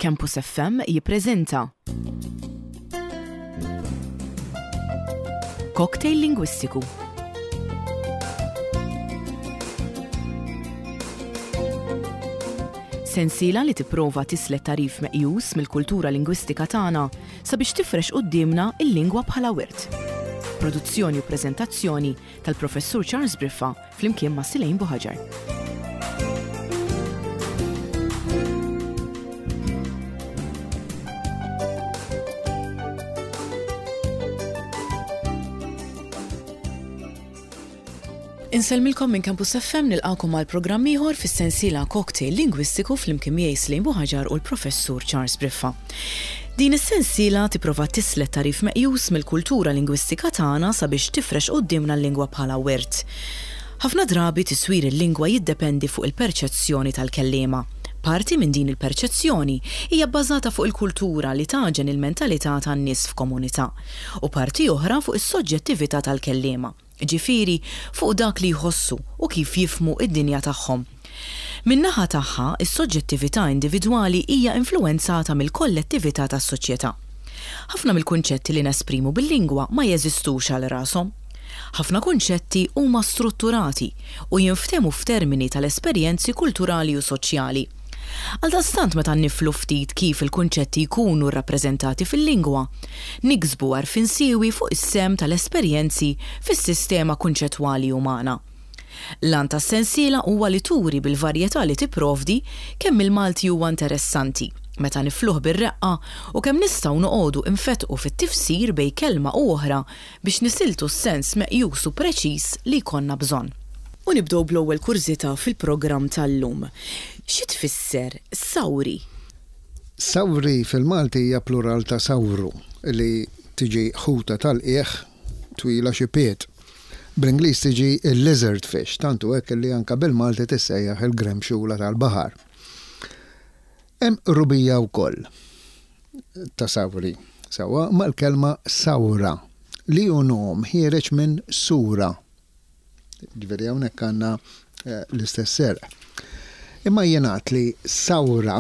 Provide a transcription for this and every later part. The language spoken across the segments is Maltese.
Campus FM jippreżenta Cocktail Lingwistiku. Sensiela li tipprova tislet tagħrif meqjus mill-kultura lingwistika tagħna sabiex tifrex quddiemna l-lingwa bħala wirt. Produzzjoni u preżentazzjoni tal-Professur Charles Briffa flimkien ma' Silejn Buħaġar. Insellmilkom minn Campus FM nilqakom għal programm ieħor fis-sensiela Cocktail Lingwistiku flimkien miegħi Slejn Buħaġar u l-Professur Charles Briffa. Din is-sensiela tipprova tislet tagħrif meqjus mill-kultura lingwistika tagħna sabiex tifrex quddiemna l-lingwa bħala wirt. Ħafna drabi tiswir il-lingwa jiddependi fuq il-perċezzjoni tal-kelliema. Parti minn din il-perċezzjoni hija bbażata fuq il-kultura li tagħġen il-mentalità tan-nies f'komunità, u parti oħra fuq is-soġġettività tal-kelliema. jiġifieri fuq dak li jħossu u kif jifhmu d-dinja tagħhom. Min-naħa tagħha, is-soġġettività individwali hija influwenzata mill-kollettività tas-soċjetà. Ħafna mill-kunċetti li nesprimu bil-lingwa ma jeżistux għal rashom. Ħafna kunċetti huma strutturati u jinftehmu f'termini tal-esperjenzi kulturali u soċjali. Għaldaqstant meta niflu ftit kif il-kunċetti jkunu rrappreżentati fil-lingwa, niksbu għarfien siewi fuq is-sehem tal-esperjenzi fis-sistema kunċettwali umana. L-għan tas-sensiela huwa li turi bil-varjetà li tipprovdi kemm il-Malti huwa interessanti meta nifluh bir-reqqa u kemm nistgħu noqogħdu nfettqu fit-tifsir bejn kelma u oħra biex nisiltu s-sens meqjus u preċiż li jkollna bżonn. U nibdew bl-ewwel kurżità fil-programm tal-lum. Xi tfisser sawri? Sawri fil-Malti hija plural ta' sawru, li tiġi ħuta tal-qiegħ twila xi pied. Bl-Ingliż tiġi lizard fish, tant hu hekk li anke bil-Malti tissejjaħ il-gremxula tal-baħar. Hemm qrubija wkoll ta' sawri, sewwa, mal-kelma sawra, li hu nom ħiereġ minn sura. Ġifieri hawnhekk għandna eh, l-istess serq. Imma jingħad li sawra,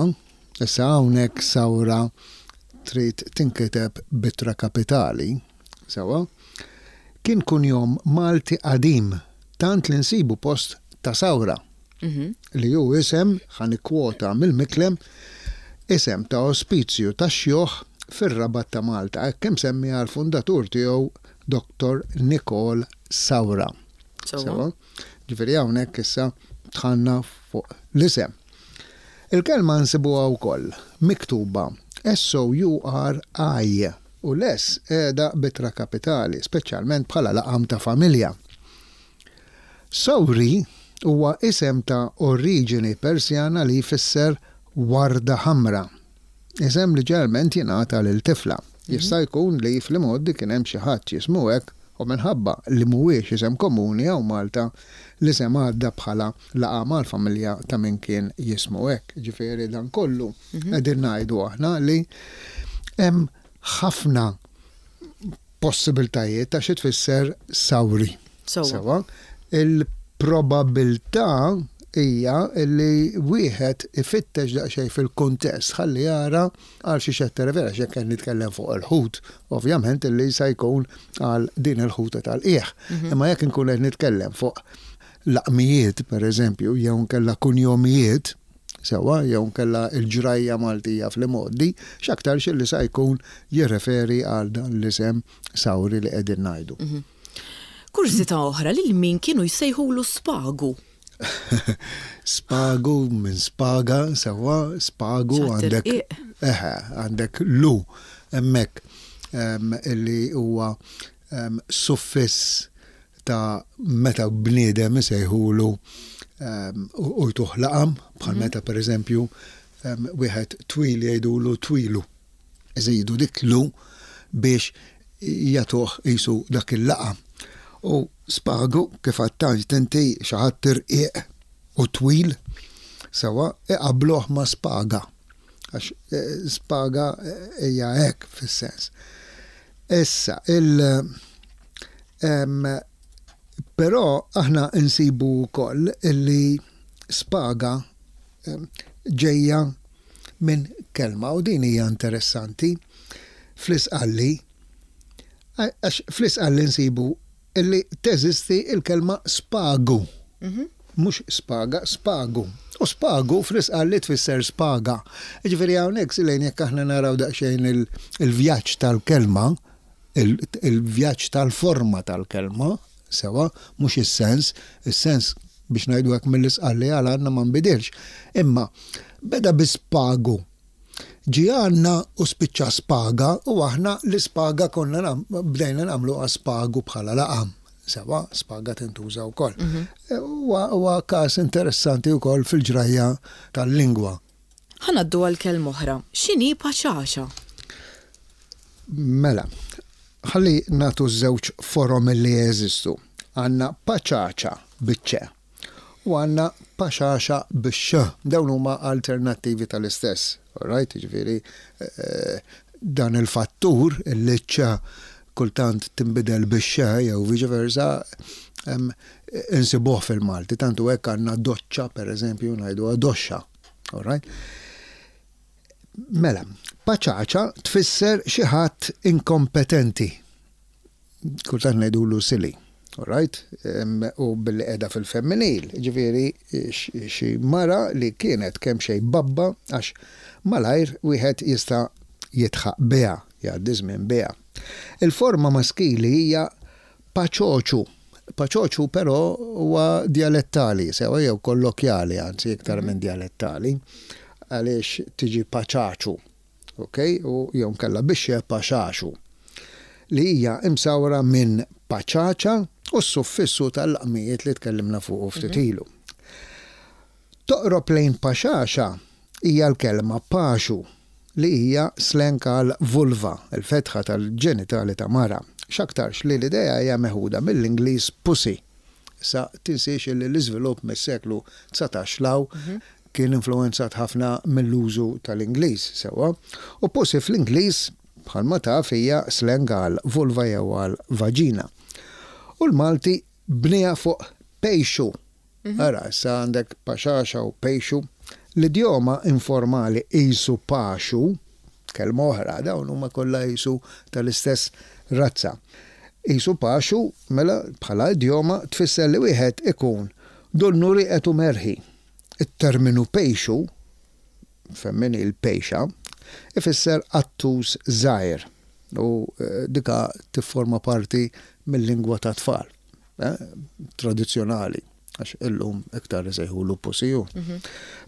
issa hawnhekk sawra trid tinkiteb b'ittra kapitali, sewwa, kien kunjom Malti qadim tant li nsibu post ta' sawra. Li hu isem, ħa nikkwota mill-Miklem, isem ta' ospizju tax-xjuħ fir-Rabat ta' Malta, hekk imsemmi għall-fundatur tiegħu Dottor Nikol Saura. Sewwa? Ġifieri hawnhekk issa dħalna fuq l-isem. Il-kelma nsibuha wkoll miktuba S-O-U-R-I u l-S qiegħda b'ittra kapitali, speċjalment bħala laqam ta' familja. Sawri huwa isem ta' oriġini Persjana li jfisser warda ħamra, isem li ġeneralment jingħata lil tifla. Jista' jkun li fl-imgħoddi kien hemm xi ħadd jismu hekk u minħabba li mhuwiex isem komuni hawn Malta, l-isem għadda bħala laqam għall-familja ta' min kien jismu hekk. Jiġifieri dan kollu qegħdin ngħidu aħna li hemm ħafna possibiltajiet ta' xi tfisser sawri. Sewwa. Il-probabilità hija li wieħed ifittex daqsxejn fil-kuntest ħalli jara għal xiex qed tirreferi għax jekk qed nitkellem fuq il-ħut, ovvjament li se jkun għal din il-ħuta tal-qiegħ. Mhm. Imma jekk inkun qed nitkellem fuq laqmijiet, pereżempju, jew nkella kunjomijiet, sewwa, jew inkella l-ġrajja Maltija fl-imgħoddi, x'aktarx illi sa jkun jirreferi għal dan l-isem Sawri li qegħdin ngħidu. Kurżità oħra, lil min kienu jsejħulu Spagu? Spagu minn spaga, sewwa, spagu għandek. Eħe, għandek lu hemmhekk illi huwa suffiss ta' meta bniedem isejħulu u jtuh laqam, bħal meta pereżempju wieħed twil jgħidulu twilu. Iżidu dik lu biex jagħtuh qisu dak il-laqam. U spagu, kif għedt inti, xi ħadd irqiq u twil, sewwa, iqabbluh ma' spaga. Għax spaga hija hekk fis-sens. Issa, il Però aħna nsibu wkoll illi spaga ġejja minn kelma u din hija interessanti fl-Isqalli għax fl-Isqalli nsibu illi teżisti l-kelma spagu. Mhux spaga, spagu. U spagu fl-Isqalli tfisser spaga. Jiġifieri hawnhekk Silejn jekk aħna naraw daqsxejn il-vjaġġ tal-kelma, il-vjaġġ tal-forma tal-kelma, sewwa, mhux is-sens, is-sens biex ngħidu hekk mill-Isqalli għal għandna ma nbidilx. Imma beda bi spagu. Ġie għandna u spiċċa spaga u aħna l-ispaga konna bdejna nagħmluha spagu bħala laqam. Sewwa, spaga tintuża wkoll. Huwa każ interessanti wkoll fil-ġrajja tal-lingwa. Ħa ngħaddu għal kelma oħra. X'inhi paċaċa? Mela, ħalli nagħtu ż-żewġ forom li jeżistu. Għandna paċaċa biċ-ċe u għandna paxaxa bix-x. Dawn huma alternattivi tal-istess. All right? Jiġifieri dan il-fattur li ċ kultant tinbidel bix-x jew viċi versa insibuh fil-Malti. Tant hu hekk għandna doċċa pereżempju ngħiduha doxxa. All right? Mela, paċaċa tfisser xi ħadd inkompetenti. Kultant ngħidulu silly. All right? U billi qiegħda fil-femminil, ġifieri xi mara li kienet kemm xejn babba għax malajr wieħed jista' jidħaq biha, jgħaddi żmien biha. Il-forma maskili hija paċoċu. Paċoċu però huwa djalettali, sewa jew kollokjali anzi iktar minn djalettali, għaliex tiġi paċaċu. Ok, u jew inkella bix-xe paxaxu, li hija imsawra minn paċaċa u s-suffissu tal-laqmijiet li tkellimna fuqu ftit ilu. Toqrob lejn paxaxa hija l-kelma paxu, li hija slang għal vulva, il-fetħa tal-ġenitali ta' mara. X'aktarx li l-idea hija meħuda mill-Ingliż pussy. Issa tinsiex illi l-iżvilupp mis-seklu 19 'l hawn kien influwenzat ħafna mill-użu tal-Ingliż, sewwa, u pussy fl-Ingliż, bħalma taf, hija slang għal vulva jew għal vaġina. U l-Malti bnieha fuq pejxu. Ara, issa għandek paxaxa u pejxu. L-idjoma informali qisu paxu, kelma oħra, dawn huma kollha qisu tal-istess razza. Qisu paxu, mela, bħala idjoma, tfisser li wieħed ikun donnu rieqed u merħi. It-terminu pejxu, femminil pejxa, ifisser qattus żgħir u dika tifforma parti mil-lingwa tat-tfal tradizzjonali għax illum iktar isejħulu pusiju.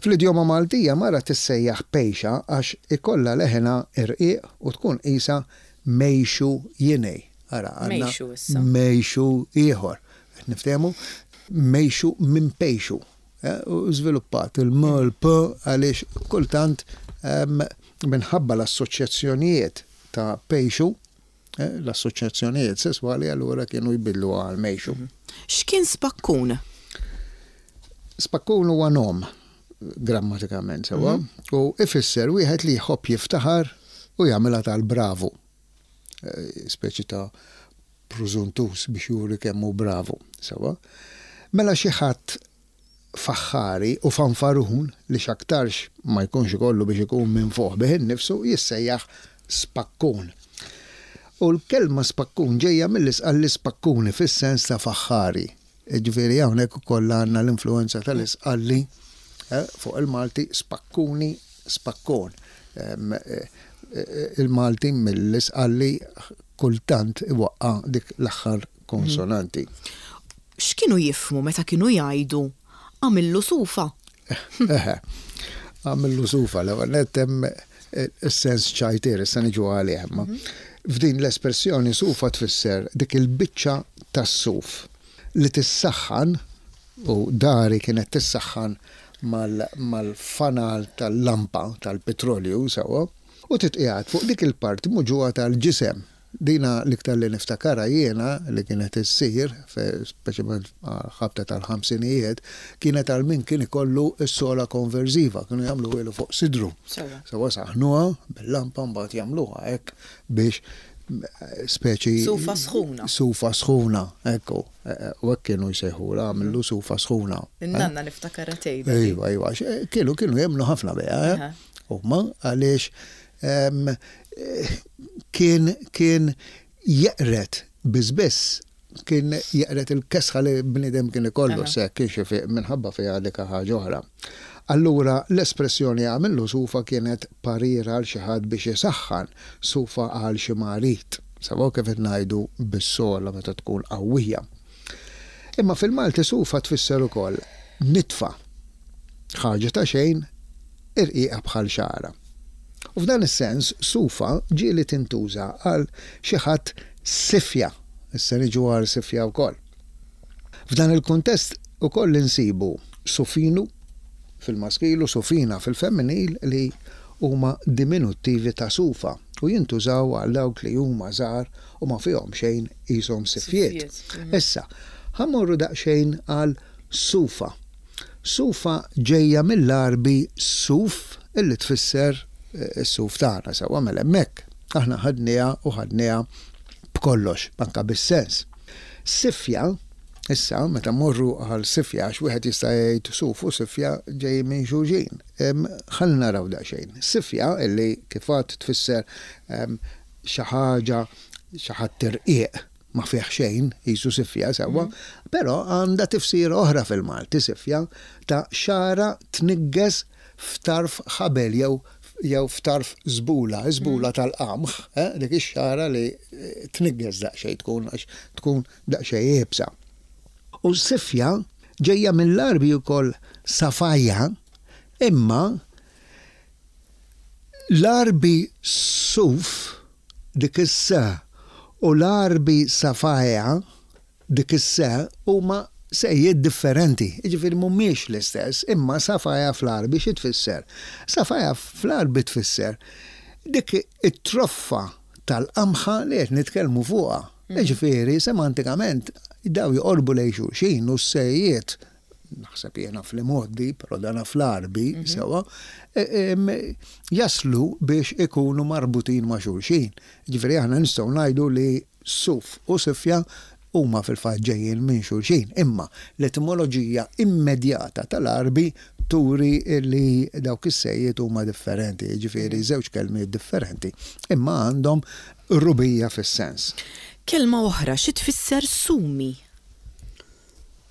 Fl-idjoma Maltija mara tissejjaħ pejxa għax ikollha leħinha irqiq u tkun qisha mejxu jinej. Ara għandna mejxu ieħor. Qed niftehmu? Mejxu minn pejxu. U żviluppat il-m, l-p għaliex kultant minħabba l-assoċjazzjonijiet ta' pejxu, l-assoċjazzjonijiet sesswali allura kienu jbiddluha għal mejxu. X'kien spakkun? Spakkun huwa nom grammatikament sewwa u ifisser wieħed li jħobb jiftaħar u jagħmilha tal-bravu. Speċi ta' prużuntuż biex juri kemm hu bravu. Sewwa? Mela xi ħadd faħħari u fanfarun li x'aktarx ma jkunx ikollu biex ikun minfuħ bih innifsu jissejjaħ spakkun. U l-kelma spakkun ġejja mill-Isqalli spakkuni fis-sens ta' faħħari. Jiġifieri hawnhekk ukoll għandna l-influwenza tal-Isqalli fuq il-Malti spakkuni, spakkon. Il-Malti mill-Isqalli kultant iwaqqa' dik l-aħħar konsonanti. X'kienu jifhmu meta kienu jgħidu għamillu sufa? Eħe, għamillu sufa, l-ewwel nett hemm is-sens ċajtier, issa niġu għalih imma. F'din l-espressjoni sufa tfisser dik il-biċċa tas-suf li tissaħħan, u dari kienet tissaħħan mal-fanal tal-lampa tal-pitrolju sewwa, u titqiegħed fuq dik il-parti muġugħa tal-ġisem. Dina l-iktar li niftakarha jiena li kienet issir, speċjalment ħabta tal-ħamsinijiet, kienet għal min kien ikollu s-sola konversiva, kienu jagħmluhielu fuq sidru. Sewwa saħħnuha bil-lampa mbagħad jagħmluha hekk biex speċi. Sufa sħuna. Sufa sħuna, ekku. U hekk kienu jsejħulha, għamillu sufa sħuna. In-nanna niftakarha tgħidha. Iva, iva, kienu kienu jemmnu ħafna biha. huma għaliex kien kien jeqred biss biss kien jeqred il-kesħa li bniedem kien ikollu se kienx ifiq minħabba fiha dik ħaġa oħra. Allura l-espressjoni għamillu sufa kienet parir għal xi ħadd biex isaħħan sufa għal xi marid. Sewwa kif qed ngħidu bis-sogħla meta tkun qawwija. Imma fil-Malti sufa tfisser ukoll nitfa, ħaġa ta' xejn irqiqa bħal xagħra. U f'dan is-sens sufa ġieli tintuża għal xi ħadd sifja, issa niġu għal sifja wkoll. F'dan il-kuntest ukoll insibu sufinu fil-maskil u sufina fil-femminil li huma diminuttivi ta' sufa u jintużaw għal dawk li huma żgħar u ma fihom xejn qishom sifjiet. Issa, ħa mmorru daqsxejn għal sufa. Sufa ġejja mill-Għarbi suf illi tfisser is-suf tagħna sewwa mela hemmhekk aħna ħadniha u ħadniha b'kollox, anke bis-sens. Sifja, issa meta mmorru għal sifja għax wieħed jista' jgħid suf u sifja ġejjin minn xulxin. Ħalli naraw daqsxejn. Sifja illi kif għedt tfisser xi ħaġa, xi ħadd irqiq, ma fih xejn, qisu sifja sewwa, però għandha tifsira oħra fil-Malti, sifja ta' xagħra tniggeż f'tarf ħabel jew jew f'tarf żbula, iż-żbula tal-qamħ, eh, dik ix-xagħra li tniggeż daqsxejn tkun għax tkun daqsxejn iebsa. U sifja ġejja mill-Għarbi wkoll safajja, imma L-Għarbi suf, dik is-s, u l-Għarbi safaja, dik is-s, huma sejjiet differenti, jiġifieri mhumiex l-istess, imma safaja fl-Għarbi xi tfisser? Safaja fl-Għarbi tfisser dik it-troffa tal-qamħa li qed nitkellmu fuqha. Jiġifieri semantikament dawn joqorbu lejn xulxin u s-sejjiet naħseb jiena fl-imgħoddi, però dana fl-Għarbi sewwa, jaslu biex ikunu marbutin ma' xulxin. Jiġifieri aħna nistgħu ngħidu li suf u sifja huma fil-fatt ġejjin minn xulxin, imma l-etimoloġija immedjata tal-Għarbi turi li dawk is-sejjiet huma differenti, jiġifieri żewġ kelmiet differenti, imma għandhom qrubija fis-sens. Kelma oħra xi tfisser sumi?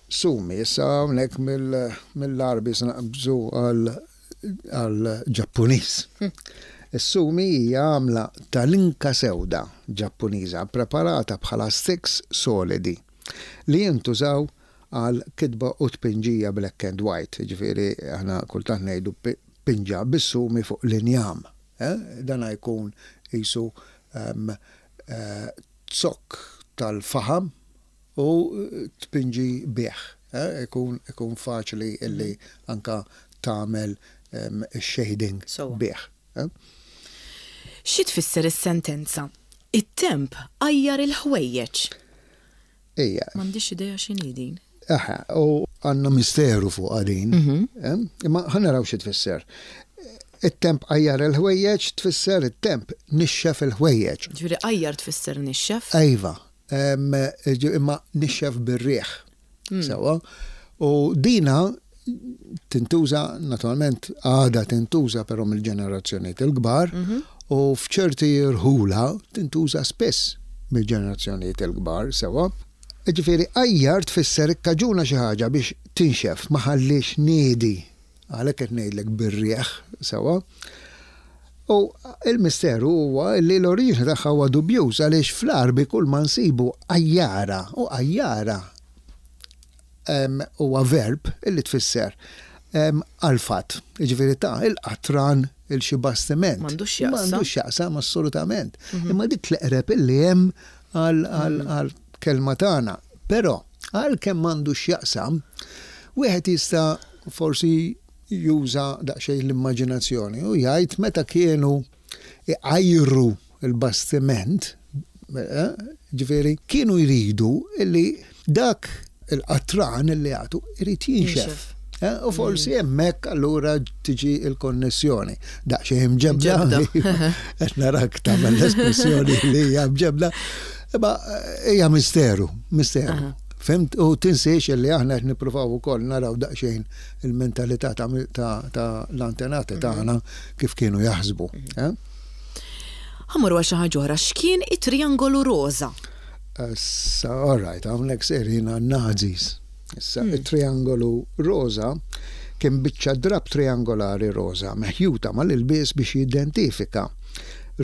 Sumi, issa hawnhekk mill-Għarbi se naqbżu għall-Ġappuniż. Is-sumi hija għamla ta' linka sewda Ġappuniża ppreparata bħala sticks solidi li jintużaw għal kitba u tpinġija black and white, jiġifieri aħna kultant ngħidu pinġa bis-sumi fuq l-injam. Dan jkun qisu zokk tal-faħam u tpinġi bih. Ikun ikun faċli illi anka tagħmel ix-shading bih. Xi tfisser is-sentenza, It-temp għajjar il-ħwejjeġ? Ejja. M'għandix idea x'inhi din. Eħe, u għandna misteru fuqha din. Imma ħa naraw xi tfisser. It-temp għajjar il-ħwejjeġ tfisser it-temp nixxef il-ħwejjeġ. Ġifieri għajjar tfisser nixxef? Iva. Imma nixxef bir-riħ. Sewwa. U dina tintuża, naturalment għadha tintuża però mill-ġenerazzjonijiet il-kbar u f'ċerti rħula tintuża spiss mill-ġenerazzjonijiet il-kbar, sewwa. Ġifieri għajjar tfisser ikkaġuna xi ħaġa biex tinxef, ma ħalliex niedi. Għalhekk qed ngħidlek bir-riħ, sewwa. U l-misteru huwa li l-oriġini tagħha huwa dubjuż għaliex fl-Għarbi kull ma nsibu għajjara u għajjara huwa verb illi tfisser għalfat, jiġifieri ta' il-qatran il xi bastiment. M'għandux x'jaqsam. M'għandux x'jaqsam assolutament. Imma dik l-eqreb illi hemm għall-kelma tagħna. Però għalkemm m'għandux x'jaqsam, wieħed jista' forsi juża daqsxejn l-immaġinazzjoni u jgħid meta kienu iqajru l-bastiment, ġifieri kienu jridu li dak il-qatran li jagħtu irid jinxef. U forsi hemmhekk allura tiġi l-konnessjoni. Daqsxejn mġebda. Qed narak tagħmel l-espressjoni li hija mġebda. Imma hija misteru, misteru. Fhimt? U tinsiex illi aħna qed nippruvaw ukoll naraw daqsxejn il-mentalità ta' l-antenati tagħna kif kienu jaħsbu. Ħa mmorru għal xi ħaġa oħra. X'kien it-triangolu roża? Issa, all right, hawnhekk sejrin għan-Nazis. Issa, it-triangolu roża kien biċċa drapp triangolari roża meħjuta mal-ilbies biex jidentifika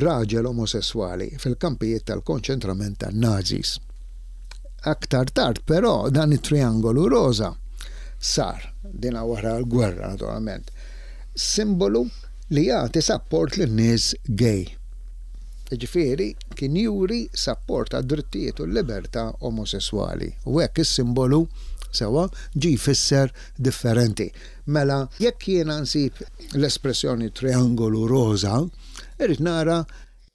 raġel omosesswali fil-kampijiet tal-konċentrament tan-Nazis. Aktar tard, però, dan it-triangolu roża sar, dina wara l-gwerra naturalment, simbolu li jagħti sapport lin-nies gay. Jiġifieri kien juri sapport għad-drittijiet u l-libertà omosesswali. U hekk is-simbolu, sewwa, ġie jfisser differenti. Mela jekk jiena nsib l-espressjoni triangolu roża, irrid nara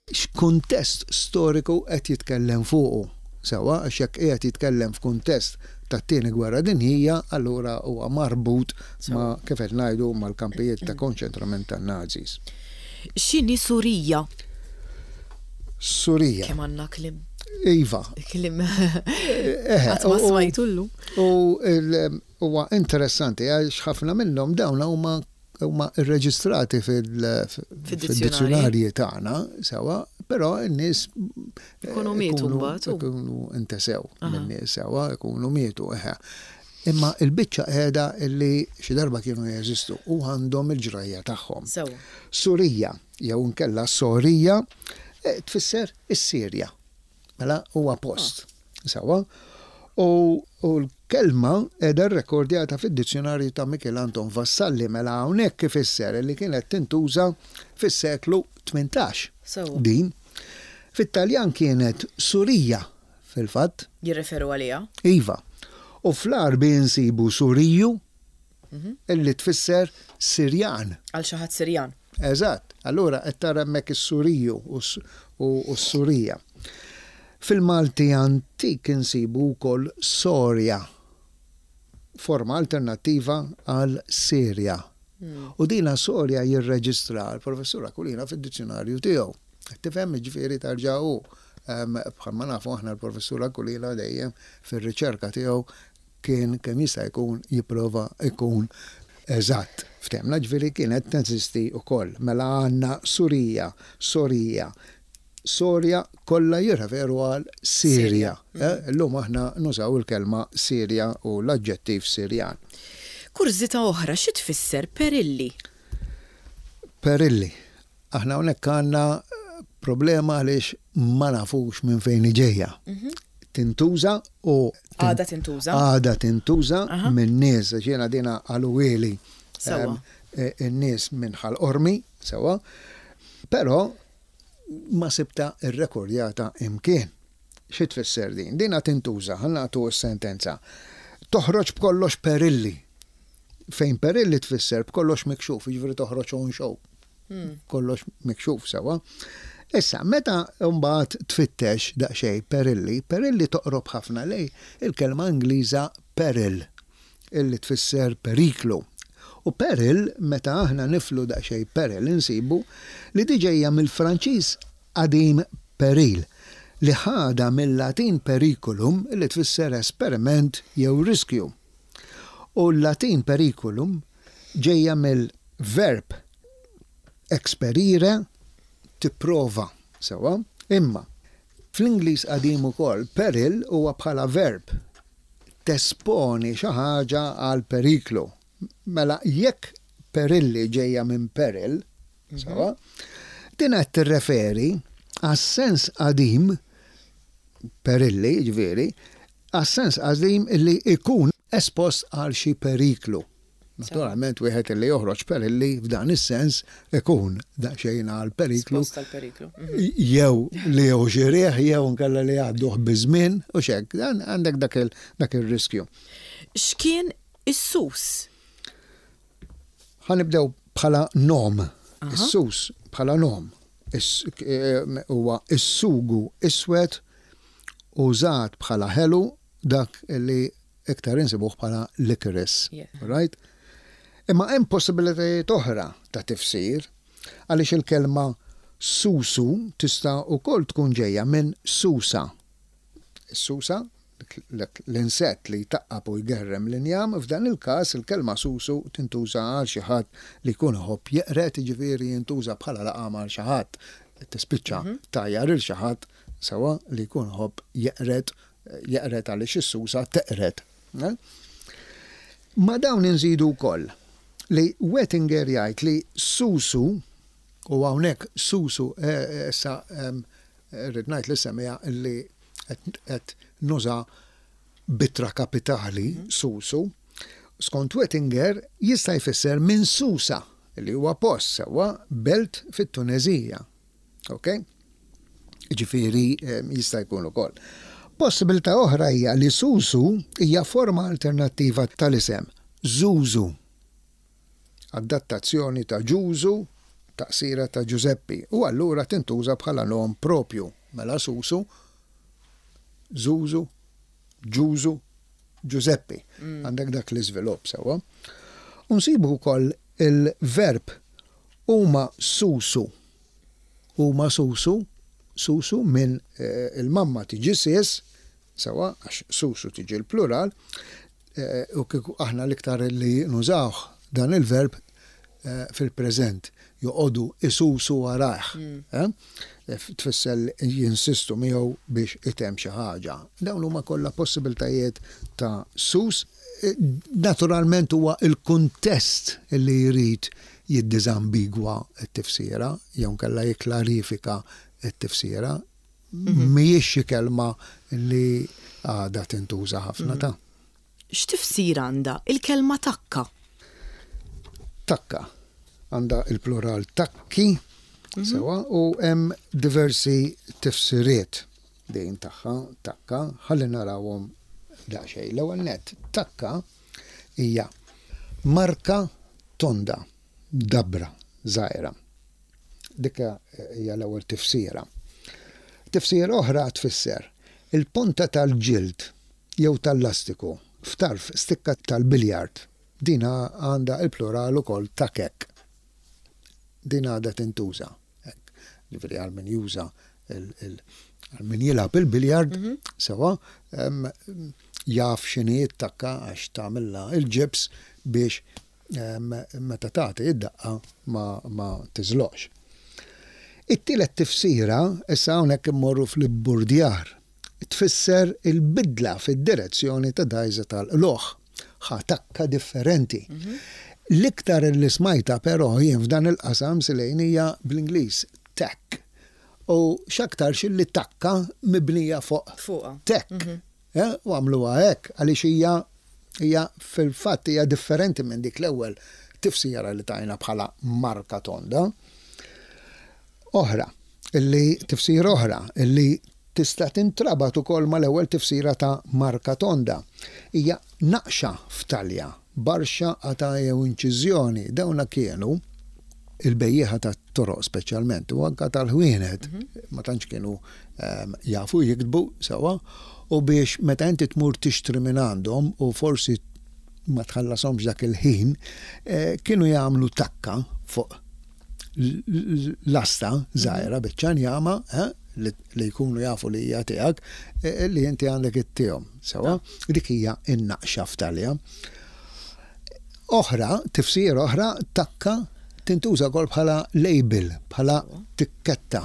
x'kuntest storiku qed jitkellem fuqu. Sewwa, għax jekk qiegħed jitkellem f'kuntest tat-Tieni Gwerra Dinjija, allura huwa marbut ma' kif qed ngħidu mal-kampijiet ta' konċentrament tan-Nazis. X'inhi Surija? Surija. Kemm għandna kliem. Iva. Kliem. Qatt ma smajtu llum. U huwa interessanti għax ħafna minnhom dawn huma huma rreġistrati fid-dizzjunarji tagħna sewwa, però n-nies ikunu mietu mbagħad. Ikunu intesew min-nies sewwa, ikunu mietu eħe. Imma l-biċċa qiegħda li xi darba kienu jeżistu u għandhom il-ġrajja tagħhom. Surija jew inkella Sorija tfisser is-Sirja. Mela huwa post. Sewwa? U l-kelma qiegħda rrekordjata fid-dizzjunarju ta' Mikiel Anton Vassalli mela hawnhekk ifisser li kienet tintuża fis-seklu 18. Din. Fit-Taljan kienet Surija fil-fatt. Jirreferu għaliha. Iva. U fl-Għarbi nsibu Suriju Illi tfisser Sirjan. Għal xi ħadd Sirjan. Eżatt. Allura qed tara hemmhekk is-Suriju u s-Surija. Fil-Malti antik insibu wkoll Sorja, forma alternattiva għal Sirja. U dina Sorja jirreġistraha l-Professur Aquilina fid-dizzjunarju tiegħu. Qed tifhem? Jiġifieri tarġa' hu, bħalma nafu aħna l-Professur Aquilina dejjem fir-riċerka tiegħu kien kemm jista' jkun jipprova jkun eżatt. Ftehmna ġifieri kienet teżisti wkoll. Mela għandna Surija, Sorija, Sorja kollha jirreferu għal Sirja. Illum aħna nużaw il-kelma Sirja u l-aġġettiv Sirjan. Kurżità oħra, xi tfisser perilli? Perilli. Aħna hawnhekk għandna problema għaliex ma nafux minn fejn hi ġejja. Tintuża u. Għadha tintuża. Għadha tintuża minn nies, għax jiena dina qaluhieli in-nies minn Ħal Qormi, sewwa, però ma sibtha rrekordjata imkien. Xi tfisser din? Dina tintuża, ħa nagħtu s-sentenza. Toħroġ b'kollox perilli. Fejn perilli tfisser b'kollox mikxuf, jiġifieri toħroġ on show. Kollox mikxuf sewwa. Issa, meta mbagħad tfittex daqsxejn perilli, perilli toqrob ħafna lejn il-kelma Ingliża peril, illi tfisser periklu. U peril, meta aħna niflu daqsxejn peril insibu li di ġejja mill-Franċiż qadim peril, li ħadha mil-Latin periculum illi tfisser esperiment jew riskju. U l-Latin periculum ġejja mill-verb experire, tipprova, sewwa? Imma, fl-Ingliż qadim ukoll, peril huwa bħala verb, tesponi xi ħaġa għal periklu. Mela jekk perilli ġejja minn peril, sewwa, din qed tirreferi għas-sens qadim, perilli, jiġifieri, għas-sens qadim li jkun espost għal xi periklu. Naturalment wieħed li joħroġ perilli f'dan is-sens ikun daqsxejn għal periklu. Espost għal periklu. Jew li jew xi riħ jew inkella li jgħadduh biż-żmien u x'hekk, għandek dak ir-riskju. X'kien is-sus? Ħa nibdew bħala nom. Is-sus bħala nom huwa s-sugu iswed użat bħala ħelu dak li iktar insibuh bħala licorice. Right? Imma hemm possibilitajiet oħra ta' tifsir għaliex il-kelma susu tista' wkoll tkun ġejja minn susa. Is-susa? L-insett li jtaqqab u jgerrem l-injam, f'dan il-każ il-kelma susu tintuża għal xi ħadd li jkun iħobb jeqred, jiġifieri jintuża bħala laqam għal xi ħadd. Tispiċċa tgħajjar lil xi ħadd sewwa li jkun iħobb jeqred, jeqred għaliex is-susa teqred. Ma' dawn inżidu wkoll li Wettinger jgħid li susu, u hawnhekk susu issa Irrid ngħid lis-semmiegħa li qed nuża b'ittra kapitali, susu, skont Wettinger jista' jfisser minn Susa, li huwa post sewwa, belt fit-Tuneżija. Ok? Jiġifieri jista' jkun ukoll. Possibilità oħra hija li susu hija forma alternattiva tal-isem Zuzu. Adattazzjoni ta' Ġużu, taqsira ta' Ġużeppi, u allura tintuża bħala nom proprju, mela Susu, Żużu, Ġużu, Ġużeppi. Għandek dak l-iżvilupp sewwa. U nsibu wkoll il-verb huma susu. Huma susu, susu minn il-mamma tiġi sies, Sewwa, għax susu tiġi l-plural, u kieku aħna l-iktar li nużawh dan il-verb fil-preżent, joqogħdu isusu warajh. Tfisser jinsistu miegħu biex itemm xi ħaġa. Dawn huma kollha possibiltajiet ta' sus. Naturalment huwa l-kuntest li jrid jiddiżambigwa t-tifsira jew inkella jikklarifika t-tifsira. Mhijiex xi kelma li għadha tintuża ħafna ta'. X'tifsira għandha l-kelma takka? Takka għandha l-plural takki, sewwa, u hemm diversi tifsiriet din tagħha, takka, ħalli narawhom daqsxejn. L-ewwel nett, takka hija marka tonda, dabra żgħira. Dik hija l-ewwel tifsira. Tifsira oħra tfisser il-ponta tal-ġild jew tal-lastiku f'tarf stikka tal-biljard. Din għandha l-plural ukoll takek. Din għadha tintuża. Hekk. Ġifieri għal min juża għal min jilgħab il-biljard, sewwa, jaf x'inhi t-takka għax tagħmilha il-ġibs biex meta tagħti id-daqqa ma, ma tiżloqx. It-tielet tifsira, issa hawnhekk immorru fl-ibburdjar, tfisser il-bidla fid-direzzjoni ta' dgħajsa tal-qlugħ, ħa takka differenti. L-iktar li smajtha però jien f'dan il-qasam Silejn hija bl-Ingliż, tack. U x'aktarx illi takka mibnija fuq tack. U għamluha hekk għaliex hija hija fil-fatt hija differenti minn dik l-ewwel tifsira li tajna bħala marka tonda. Oħra, illi tifsira oħra illi tista' tintrabat ukoll mal-ewwel tifsira ta' marka tonda hija naqxa f'talja, barxa, qatgħa jew inċiżjoni. Dawna kienu il-bejjiegħa tat-toroq speċjalment u anke tal-ħwienet ma tantx kienu jafu jiktbu sewwa u biex meta inti tmur tixtri minn għandhom u forsi ma tħallashomx dak il-ħin, kienu jagħmlu takka fuq lasta żgħira biċċa njama li jkunu jafu li hija tiegħek li inti għandek ittihom. Sewwa, dik hija n-naqxa f'talja. Oħra, tifsira oħra, takka tintuża wkoll bħala label, bħala tikketta.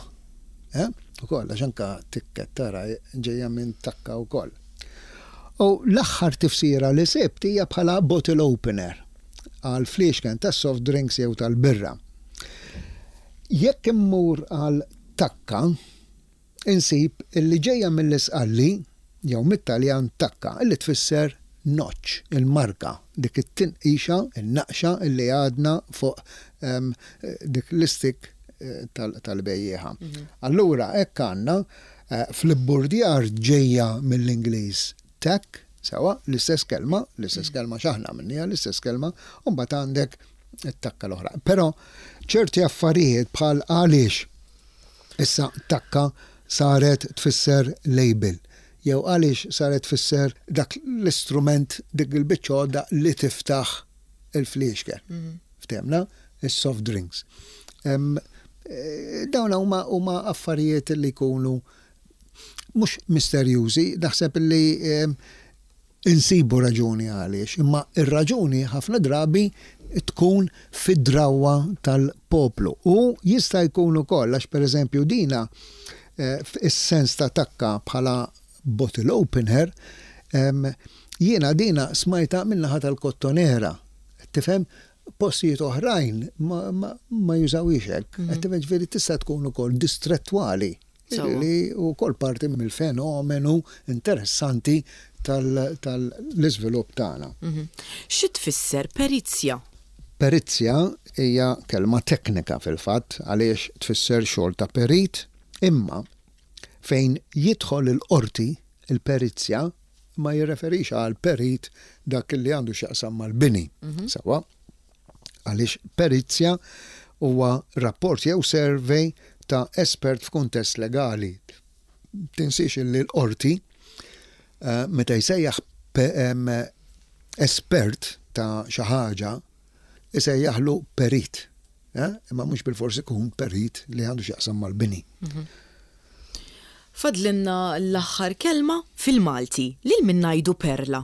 Eh? Ukoll, għax anka tikketta ra ġejja minn takka wkoll. U l-aħħar tifsira li sibt hija bħala bottle opener għal fliexken tas soft drinks jew tal-birra. Jekk immur għal takka, Insib illi ġejja mill-Isqalli jew mit-Taljan tacca illi tfisser notch, il-marka, dik it-tinqixa, in-naqxa illi għadna fuq dik l-istik tal-bejjiegħa. Allura hekk għandna fl-ibburdjar ġejja mill-Ingliż tack, sewwa, l-istess kelma, l-istess kelma x'aħna għamilniha l-istess kelma, u mbagħad għandek it-takka l-oħra. Però ċerti affarijiet bħal għaliex Issa takka saret tfisser label jew għaliex saret tfisser dak l-istrument, dik il-biċċa għodda li tiftaħ il-fliexken. Ftehmna? Is-soft drinks. Dawn huma huma affarijiet li jkunu Mhux misterjużi, naħseb li insibu raġuni għaliex, imma r-raġuni ħafna drabi tkun fid-drawwa tal-poplu. U jista' jkun ukoll għax pereżempju dina is-sens ta' takka bħala bottle opener, jiena dina smajtha min-naħa tal-Kottonera. Tifhem? Postijiet oħrajn ma jużawhiex hekk. Qed tifhem? Ġifieri tista' tkun ukoll distrettwali li wkoll parti mill-fenomenu interessanti tal-iżvilupp tagħna. Xi tfisser perizja? Perizja hija kelma teknika fil-fatt għaliex tfisser xogħol ta' perit imma fejn jidħol il-qorti il-perizja ma jirreferix għal perit dak li għandu x'jaqsam mal-bini. Sewwa? Għaliex perizja huwa rapport jew survey ta' espert f'kuntest legali. Tinsiex illi l-qorti eh, meta jsejjaħ espert ta' xi ħaġa isejjaħlu perit. Eh? Imma mhux bilfors ikun perit li għandu x'jaqsam mal-bini. Mhm. Fadlinna l-aħħar kelma fil-Malti. Lil min ngħidu perla?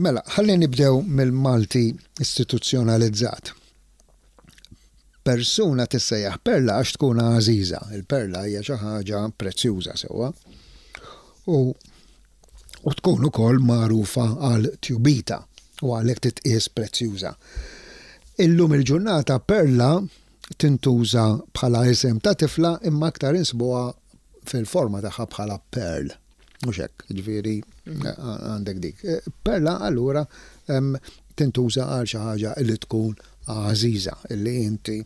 Mela, ħalli nibdew mill-Malti istituzzjonalizzat. Persuna tissejjaħ perla għax tkun għażiża. Il-perla hija xi ħaġa prezzjuża sewwa. U u tkun ukoll magħrufa għal tjubita u għalhekk titqies prezzjuża. Illum il-ġurnata perla tintuża bħala isem ta' tifla imma aktar insibuha fil-forma tagħha bħala pearl. Mhux hekk, ġifieri għandek dik. Perla allura tintuża għal xi ħaġa li tkun għażiża, li inti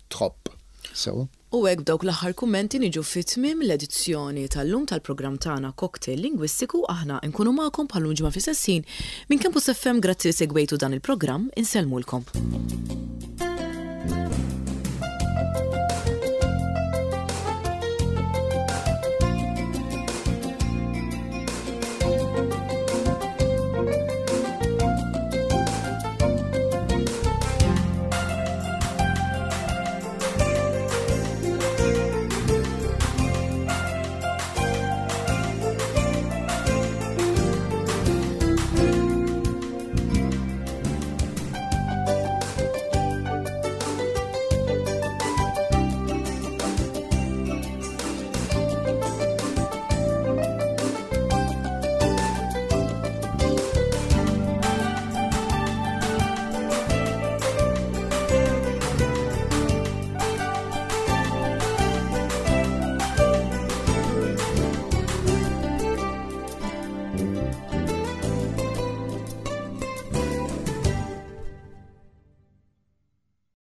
tħobb. Sewa. U hekk b'dawk l-aħħar kummenti niġu fi tmiem l-edizzjoni tal-lum tal-programm tagħna Cocktail Lingwistiku. Aħna nkunu magħkom bħal-lum ġimgħa fl-istess ħin minn Campus FM. Grazzi li segwejtu dan il-programm. Insellmulkom.